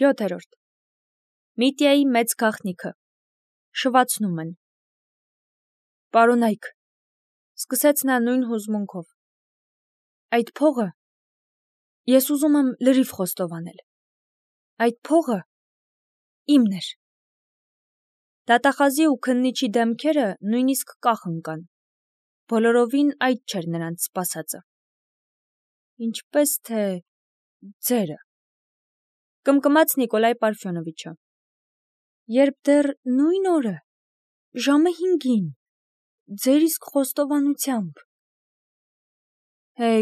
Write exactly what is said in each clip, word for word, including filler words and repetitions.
յոթերորդ. Միտիայի մեծ գաղտնիքը, շվացնում են։ Պարոնայք, սկսեց նա նույն հուզմունքով, այդ փողը, ես ուզում եմ լրիվ խոստովանել, այդ փողը իմն էր։ Դատախազի ու քննիչի դեմքերը նույնիսկ կախ ընկան, բոլորովին այդ չէր նրանց սպասածը։ Ինչպես թե ձերը, կմկմաց Նիկոլայ Պարֆյոնովիչը, երբ դեռ նույն օրը, ժամը հինգին, ձեր իսկ խոստովանությամբ։ Է,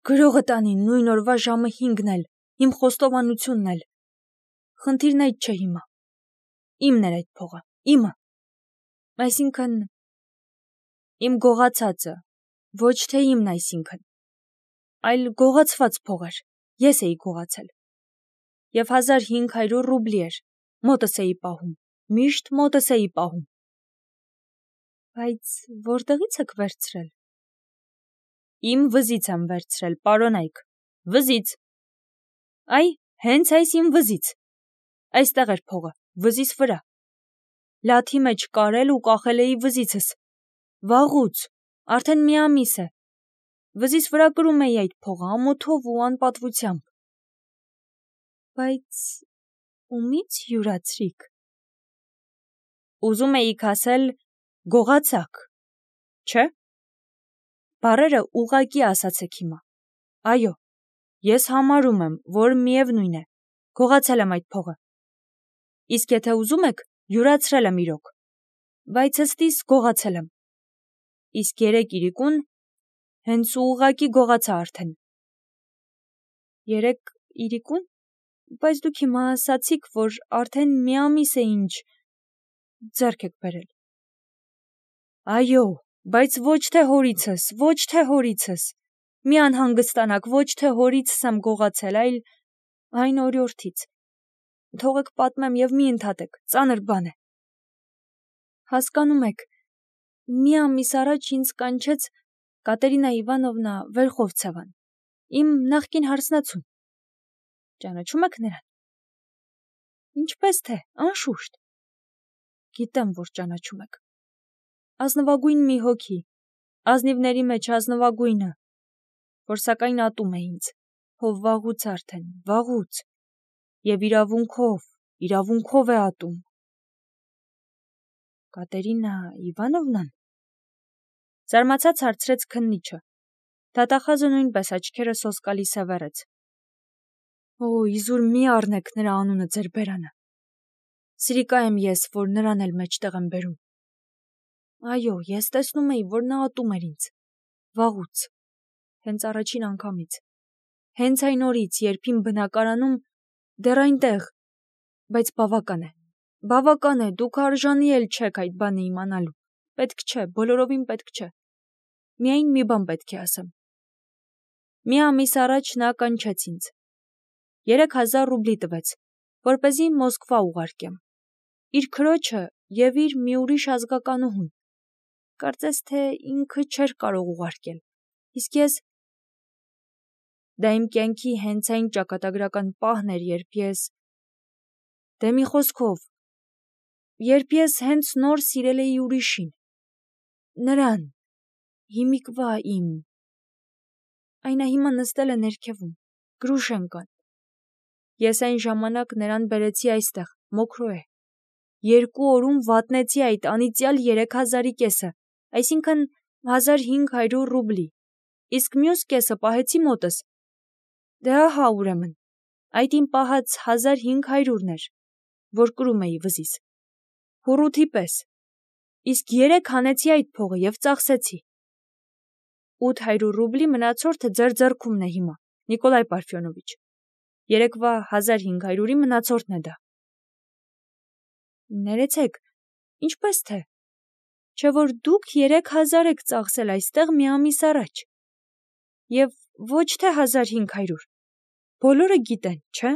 գրողը տանի նույն օրվա ժամը հինգն էլ, իմ խոստովանությունն էլ, խնդիրն այդ չէ հիմա, իմն էր այդ փողը, իմը, այսինքն, իմ գողացածը, ոչ թե իմն այսինքն, այլ գողացված փող էր, ես էի գողացել, և հազար հինգ հարյուր ռուբլի էր, մոտս էի պահում, միշտ մոտս էի պահում։ Բայց որտեղից եք վերցրել։ Իմ վզից եմ վերցրել, պարոնայք, վզից։ Այ, հենց այս իմ վզից, այստեղ էր փողը, վզիս վրա, լաթի մեջ կարել ու կախել էի վզիցս, վաղուց, արդեն մի ամիս է, վզիս վրա կրում էի այդ փողը ամոթով ու անպատվությամբ։ Բայց ումից յուրացրիք։ Ուզում էիք ասել գողացաք, չէ՞։ Բառերը ուղղակի ասացեք հիմա։ Այո, ես համարում եմ, որ միևնույն է, գողացել եմ այդ փողը։ Իսկ եթե ուզում եք, յուրացրել եմ իրոք, բայց ըստիս գողացել եմ։ Իսկ երեք իրիկուն հենց ուղղակի գողացա արդեն։ Երեք իրիկուն, բայց դուք հիմա ասացիք, որ արդեն մի ամիս է ինչ ձեռք եք բերել։ Այո, բայց ոչ թե հորիցս, ոչ թե հորիցս, մի անհանգստանաք, ոչ թե հորիցս եմ գողացել, այլ այն օրիորդից։ Թողեք պատմեմ և մի ընդհատեք, ծանր բան է։ Հասկանում եք, մի ամիս առաջ ինձ կանչեց Կատերինա Իվանովնա Վերխովցևան, իմ նախկին հարսնացուն։ Ճանաչում եք նրան։ Ինչպես թե, անշուշտ։ Գիտեմ, որ ճանաչում եք։ Ազնվագույն մի հոգի, ազնիվների մեջ ազնվագույնը, որ սակայն ատում է ինձ, հով վաղուց արդեն, վաղուց, և իրավունքով, իրավունքով է ատում։ Կատերինա Իվանովնան։ Զարմացած հարցրեց քննիչը։ Դատախազը նույնպես աչքերը սոսկալի սևեռեց։ Օ, իզուր մի առնեք նրա անունը ձեր բերանը։ Սիրիկա եմ ես, որ նրան էլ մեջտեղ եմ բերում։ Այո, ես տեսնում էի, որ նա ատում էր ինձ, վաղուց, հենց առաջին անգամից, հենց այն օրից, երբ իմ բնակարանում, դեռ այնտեղ, բայց բավական է, բավական է, դուք արժանի էլ չեք այդ բանը իմանալու, պետք չէ, բոլորովին պետք չէ, միայն մի բան պետք է ասեմ։ Մի ամիս առաջ նա կանչեց ինձ, երեք հազար ռուբլի տվեց, որպեսզի Մոսկվա ուղարկեմ, իր քրոջը և իր մի ուրիշ ազգականուհուն, կարծես թե ինքը չէր կարող ուղարկել, իսկ ես… Դա իմ կյանքի հենց այն ճակատագրական պահն էր, երբ ես… Դե մի խոսքով, երբ ես հենց նոր սիրել էի ուրիշին, նրան, հիմիկվա իմ… Այն հիմա նստել է ներքևում, Գրուշենկան։ Ես այն ժամանակ նրան բերեցի այստեղ, Մոքրոե, երկու օրում վատնեցի այդ անիծյալ երեք հազարի կեսը, այսինքն հազար հինգ հարյուր ռուբլի, իսկ մյուս կեսը պահեցի մոտս։ Դե ահա ուրեմն, այդ իմ պահած հազար հինգ հարյուրն էր, որ կրում էի վզիս, հուռութի պես, իսկ երեք հանեցի այդ փողը և ծախսեցի։ Ութ հարյուր ռուբլի մնացորդը ձեր ձեռքումն է հիմա, Նիկոլայ Պարֆյոնովիչ, երեկվա հազար հինգ հարյուրի մնացորդն է դա։ Ներեցեք, ինչպես թե, չէ որ դուք երեք հազար եք ծախսել այստեղ մի ամիս առաջ, և ոչ թե հազար հինգ հարյուր, բոլորը գիտեն, չէ։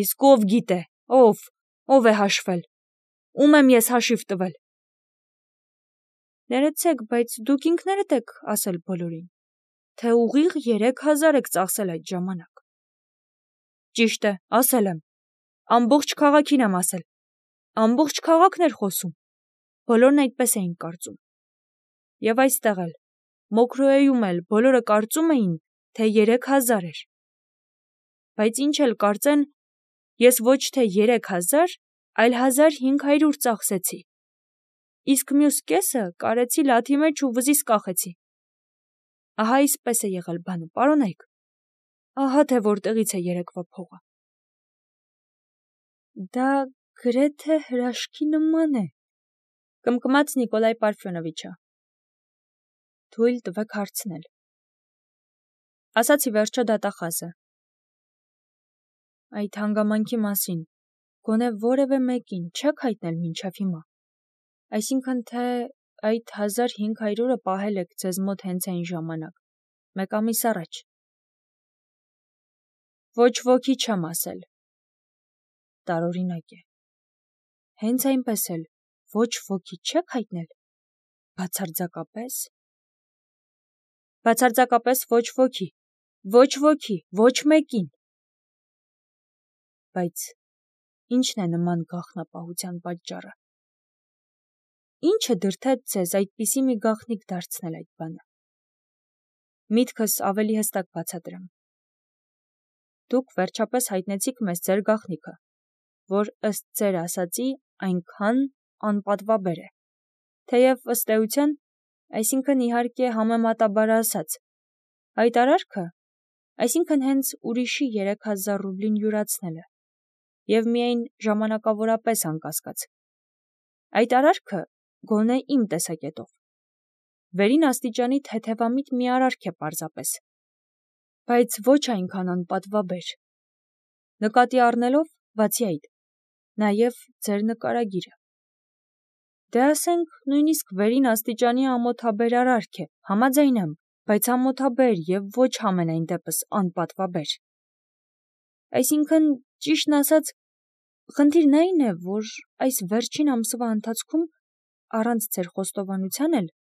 Իսկ ով գիտե, ով, ով է հաշվել, ում եմ ես հաշիվ տվել։ Ներեցեք, բայց դուք ինքներդ եք ասել բոլորին, թե ուղիղ երեք հազար եք ծախսել այդ ժամանակ։ Ճիշտ է, ասել եմ։ Ամբողջ քաղաքին եմ ասել։ Ամբողջ քաղաքն էր խոսում։ Բոլորն այդպես էին կարծում։ Եվ այստեղ էլ, Մոքրոեում էլ բոլորը կարծում էին, թե երեք հազար էր։ Բայց ինչ էլ կարծեն, ես ոչ թե երեք հազար, այլ հազար հինգ հարյուր ծախսեցի։ Իսկ մյուս կեսը կարեցի լաթի մեջ ու վզիս կախեցի։ Ահա այսպես է եղել բանը, պարոնայք։ Ահա թե որտեղից է երեկվա փողը։ Դա գրեթե հրաշքի նման է, կմկմաց Նիկոլայ Պարֆյոնովիչը։ Թույլ տվեք հարցնել։ Ասացի վերջո դատախազը։ Այդ հանգամանքի մասին գոնե որևէ մեկին չեք հայտնել մինչև հիմա։ Այսինքն թե այդ հազար հինգ հարյուրը պահել եք ձեզ մոտ հենց այն ժամանակ, մեկ ամիս առաջ։ Ոչ ոքի չեմ ասել։ Տարօրինակ է։ Հենց այնպես էլ ոչ ոքի չեք հայտնել։ Բացարձակապես։ Բացարձակապես ոչ ոքի, ոչ ոքի, ոչ մեկին։ Բայց ի՞նչն է նման գաղտնապահության պատճառը։ Ի՞նչը դրդեց ձեզ այդպիսի մի գաղտնիք դարձնել այդ բանը։ Միտքս ավելի հստակ բացատրեմ։ Դուք վերջապես հայտնեցիք մեզ ձեր գաղտնիքը, որ ըստ ձեր ասածի այնքան անպատվաբեր է, թեև ըստ էության, այսինքն իհարկե համեմատաբար ասած, այդ արարքը, այսինքն հենց ուրիշի երեք հազար ռուբլին յուրացնելը, և միայն ժամանակավորապես անկասկած, այդ արարքը գոնե իմ տեսակետով, վերին աստիճանի թեթևամիտ մի արարք է պարզապես, բայց ոչ այնքան անպատվաբեր, նկատի առնելով, բացի այդ, նաև ձեր նկարագիրը։ Դե ասենք, նույնիսկ վերին աստիճանի ամոթաբեր արարք է, համաձայն եմ, բայց ամոթաբեր և ոչ համենայն դեպս անպատվաբեր։ Այսինքն, ճիշտն ասած, խնդիրն այն է, որ այս վերջին ամսվա ընթացքում, առանց ձեր խոստովանության էլ,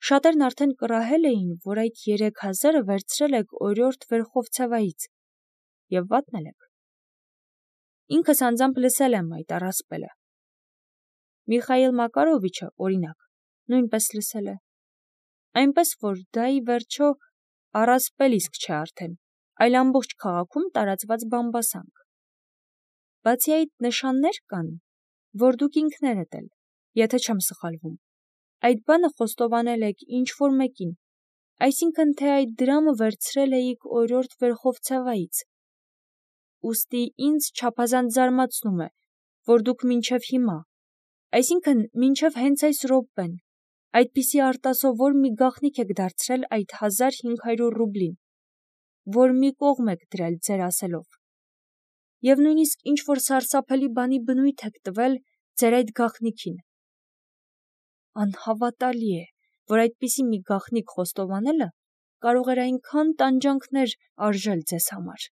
շատերն արդեն կռահել էին, որ այդ երեք հազարը վերցրել եք օրիորդ Վերխովցևայից և վատնել եք։ Ինքս անձամբ լսել եմ այդ առասպելը։ Միխայիլ Մակարովիչը, օրինակ, նույնպես լսել է։ Այնպես որ դա ի վերջո առասպել իսկ չէ արդեն, այլ ամբողջ քաղաքում տարածված բամբասանք։ Բացի այդ նշաններ կան, որ դուք ինքներդ էլ, եթե չեմ սխալվում, այդ բանը խոստովանել եք ինչ-որ մեկին, այսինքն թե այդ դրամը վերցրել էիք օրիորդ Վերխովցևայից։ Ուստի ինձ չափազանց զարմացնում է, որ դուք մինչև հիմա, այսինքն մինչև հենց այս րոպեն, այդպիսի արտասովոր մի գաղտնիք եք դարձրել այդ հազար հինգ հարյուր ռուբլին, որ մի կողմ եք դրել ձեր ասելով, և նույնիսկ ինչ-որ սարսափելի բանի բնույթ եք տվել ձեր այդ գաղտնիքին։ Անհավատալի է, որ այդպիսի մի գաղտնիք խոստովանելը կարող էր այնքան տանջանքներ արժել ձեզ համար,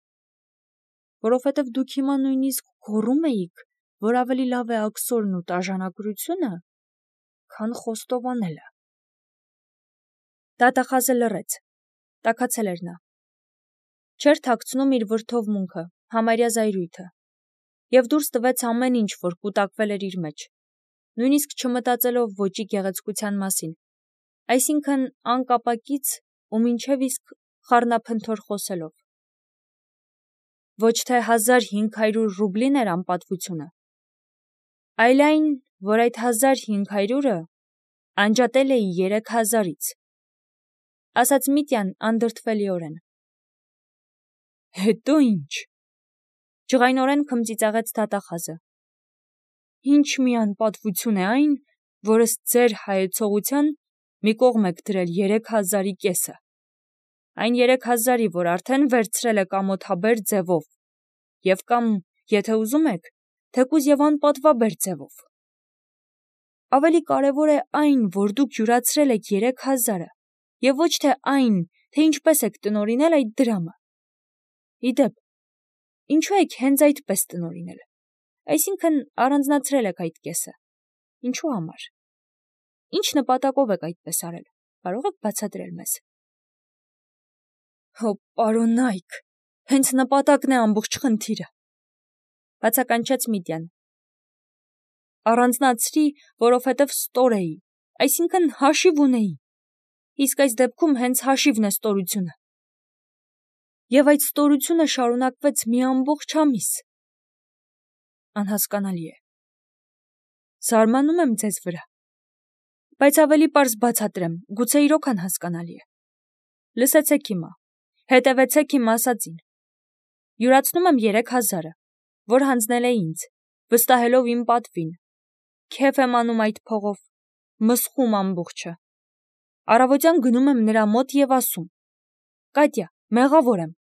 որովհետև դուք հիմա նույնիսկ գոռում էիք, որ ավելի լավ է աքսորն ու տաժանագրությունը, քան խոստովանելը։ Դատախազը լռեց, տաքացել էր նա։ Չէր թաքցնում իր վրդովմունքը, համարյա զայրույթը, և դուրս տվեց ամեն ինչ, որ կուտակվել էր իր մեջ, նույնիսկ չմտածելով ոճի գեղեցկության մասին, այսինքն անկապակից ու մինչև իսկ խառնափնթոր խոսելով։ Ոչ թե հազար հինգ հարյուր ռուբլին էր անպատվությունը, այլ այն, որ այդ հազար հինգ հարյուրը անջատել էի երեք հազարից, ասաց Միտյան անդրդվելիորեն։ Հետո ինչ, ջղայնորեն քմծիծաղեց դատախազը։ Ինչ մի անպատվություն է այն, որ ըստ ձեր հայեցողության մի կողմ եք դրել երեք հազարի կեսը, այն երեք հազարի, որ արդեն վերցրել եք ամոթաբեր ձևով, և կամ, եթե ուզում եք, թեկուզ և անպատվաբեր ձևով։ Ավելի կարևոր է այն, որ դուք յուրացրել եք երեք հազարը, և ոչ թե այն, թե ինչպես եք տնօրինել այդ դրամը։ Իդեպ, ինչու եք հենց այդպես տնօրինել, այսինքն առանձնացրել եք այդ կեսը, ինչու համար, ինչ նպատակով եք այդպես արել, կարող եք բացատրել մեզ։ Հո պարոնայք, Հենց նպատակն է ամբողջ խնդիրը, բացականչեց Միդյան։ Առանձնացրի, որովհետև ստոր էի, այսինքն հաշիվ ունեի, իսկ այս դեպքում հենց հաշիվն է ստորությունը։ Եվ այդ ստորությունը շարունակվեց մի ամբողջ ամիս։ Անհասկանալի է։ Զարմանում եմ ձեզ վրա, բայց ավելի պարզ բացատրեմ, գուցե իրոք անհասկանալի է։ Լսեցեք հիմա, հետևեցեք իմ ասածին։ Յուրացնում եմ երեք հազարը, որ հանձնել է ինձ, վստահելով իմ պատվին։ Քեֆ եմ անում այդ փողով, մսխում ամբողջը։ Առավոտյան գնում եմ նրա մոտ և ասում. Կատյա, մեղավոր եմ,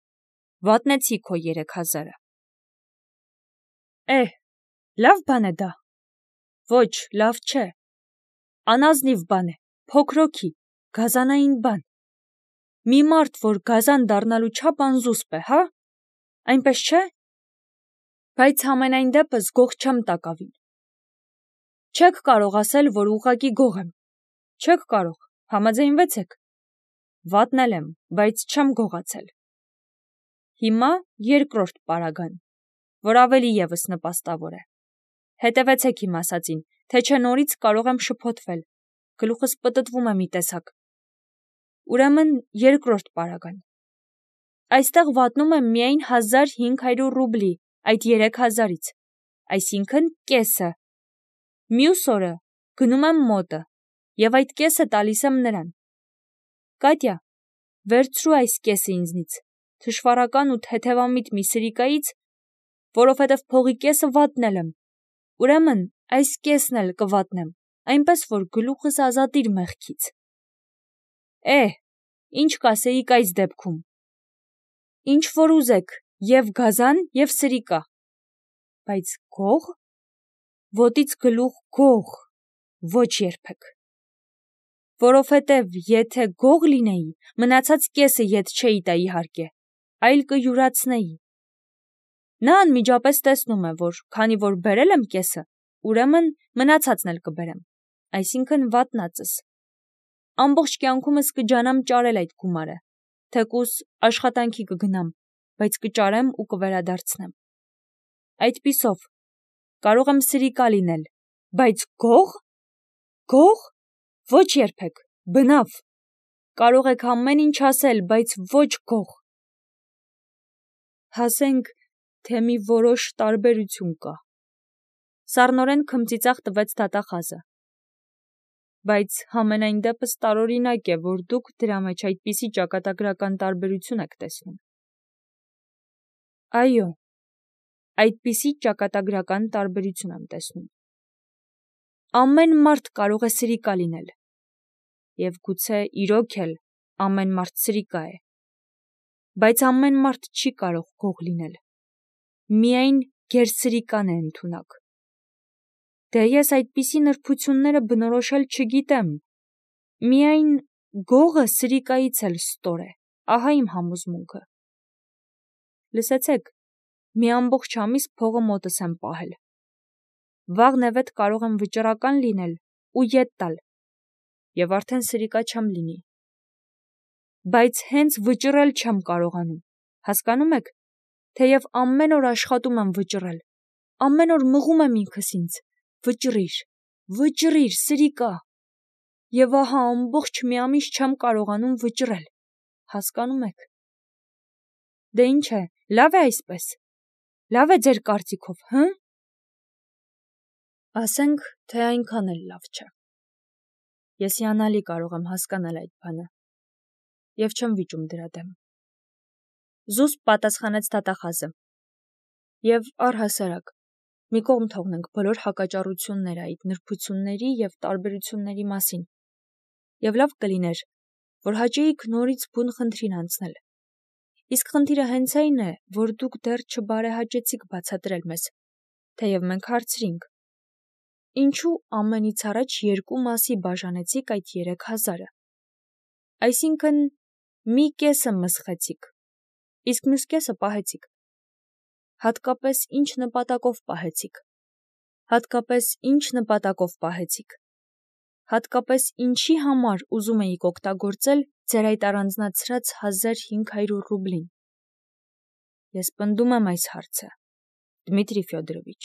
վատնեցի քո երեք հազարը։ Է, լավ բան է դա։ Ոչ, լավ չէ։ Անազնիվ բան է, փոքրոքի, գազանային բան։ Մի մարդ, որ գազան դառնալու չափ անզուսպ է, հա՞, այնպես չէ։ Բայց համենայն դեպս գող չեմ տակավին։ Չեք կարող ասել, որ ուղղակի գող եմ։ Չեք կարող, համաձայնվեցեք։ Վատնել եմ, բայց չեմ գողացել։ Հիմա երկրորդ պարագան, որ ավելի ևս նպաստավոր է։ Հետևեցեք իմ ասածին, թե չէ նորից կարող եմ շփոթվել, գլուխս պտտվում է մի տեսակ։ Ուրեմն երկրորդ պարագան։ Այստեղ վատնում եմ միայն հազար հինգ հարյուր ռուբլի այդ երեք հազարից, այսինքն կեսը։ Մյուս օրը գնում եմ մոտը և այդ կեսը տալիս եմ նրան։ Կատյա, վերցրու այս կեսը ինձնից, թշվառական ու թեթևամիտ մի սրիկայից, որովհետև փողի կեսը վատնել եմ, ուրեմն այս կեսն էլ կվատնեմ, այնպես որ գլուխս ազատիր մեղքից։ Է, ինչ կասեիք այս դեպքում։ Ինչ որ ուզեք, և գազան, և սրիկա։ Բայց գող։ Ոտից գլուխ գող, ոչ երբեք։ Որովհետև եթե գող լինեի, մնացած կեսը ետ չէի տա իհարկե, այլ կյուրացնեի։ Նա անմիջապես տեսնում է, որ քանի որ բերել եմ կեսը, ուրեմն մնացածն էլ կբերեմ, այսինքն վատնածս։ Ամբողջ կյանքումս կջանամ ճարել այդ գումարը, թեկուզ աշխատանքի կգնամ, բայց կճարեմ ու կվերադարձնեմ։ Այդպիսով, կարող եմ սրիկա լինել, բայց գող։ Գող։ Ոչ երբեք, բնավ։ Կարող եք ամեն ինչ ասել, բայց ոչ գող։ Հասենք, թե մի որոշ տարբերություն կա։ Սառնորեն քմծիծաղ տվեց դատախազը։ Բայց համենայն դեպս տարօրինակ է, որ դուք դրա մեջ այդպիսի ճակատագրական տարբերություն եք տեսնում։ Այո, այդպիսի ճակատագրական տարբերություն եմ տեսնում։ Ամեն մարդ կարող է սրիկա լինել, և գուցե իրոք էլ ամեն մարդ սրիկա է, բայց ամեն մարդ չի կարող գող լինել, միայն գերսրիկան է ընդունակ։ Դե ես այդպիսի նրբությունները բնորոշել չգիտեմ, միայն գողը սրիկայից էլ ստոր է, ահա իմ համոզմունքը։ Լսեցեք, մի ամբողջ ամիս փողը մոտս եմ պահել։ Վաղն-էվետ կարող եմ վճռական լինել ու ետ տալ, և արդեն սրիկա չեմ լինի։ Բայց հենց վճռել չեմ կարողանում, հասկանում եք, թեև ամեն օր աշխատում եմ վճռել, ամեն օր մղում եմ ինքս ինձ, վճռիր, վճռիր, սրիկա, և ահա ամբողջ մի ամիս չեմ կարողանում վճռել, հասկանում եք։ Դե ինչ է, լավ է այսպես, լավ է ձեր կարծիքով, հը՞։ Ասենք, թե այնքան էլ լավ չէ։ Ես հիանալի կարող եմ հասկանալ այդ բանը, և չեմ վիճում դրա դեմ։ Զուսպ պատասխանեց դատախազը։ Եվ առհասարակ, մի կողմ թողնենք բոլոր հակաճառությունները այդ նրբությունների և տարբերությունների մասին, և լավ կլիներ, որ հաճեիք նորից բուն խնդրին անցնել։ Իսկ խնդիրը հենց այն է, որ դուք դեռ չբարեհաճեցիք բացատրել մեզ, թեև մենք հարցրինք. ինչու ամենից առաջ երկու մասի բաժանեցիք այդ երեք հազարը։ Այսինքն, մի կեսը մսխեցիք, իսկ մյուս կեսը պահեցիք։ Հատկապես ինչ նպատակով պահեցիք։ Հատկապես ինչ նպատակով պահեցիք։ Հատկապես ինչի համար ուզում էիք օգտագործել ձեր այդ առանձնացրած հազար հինգ հարյուր ռուբլին։ Ես պնդում եմ այս հարցը, Դմիտրի Ֆյոդորովիչ։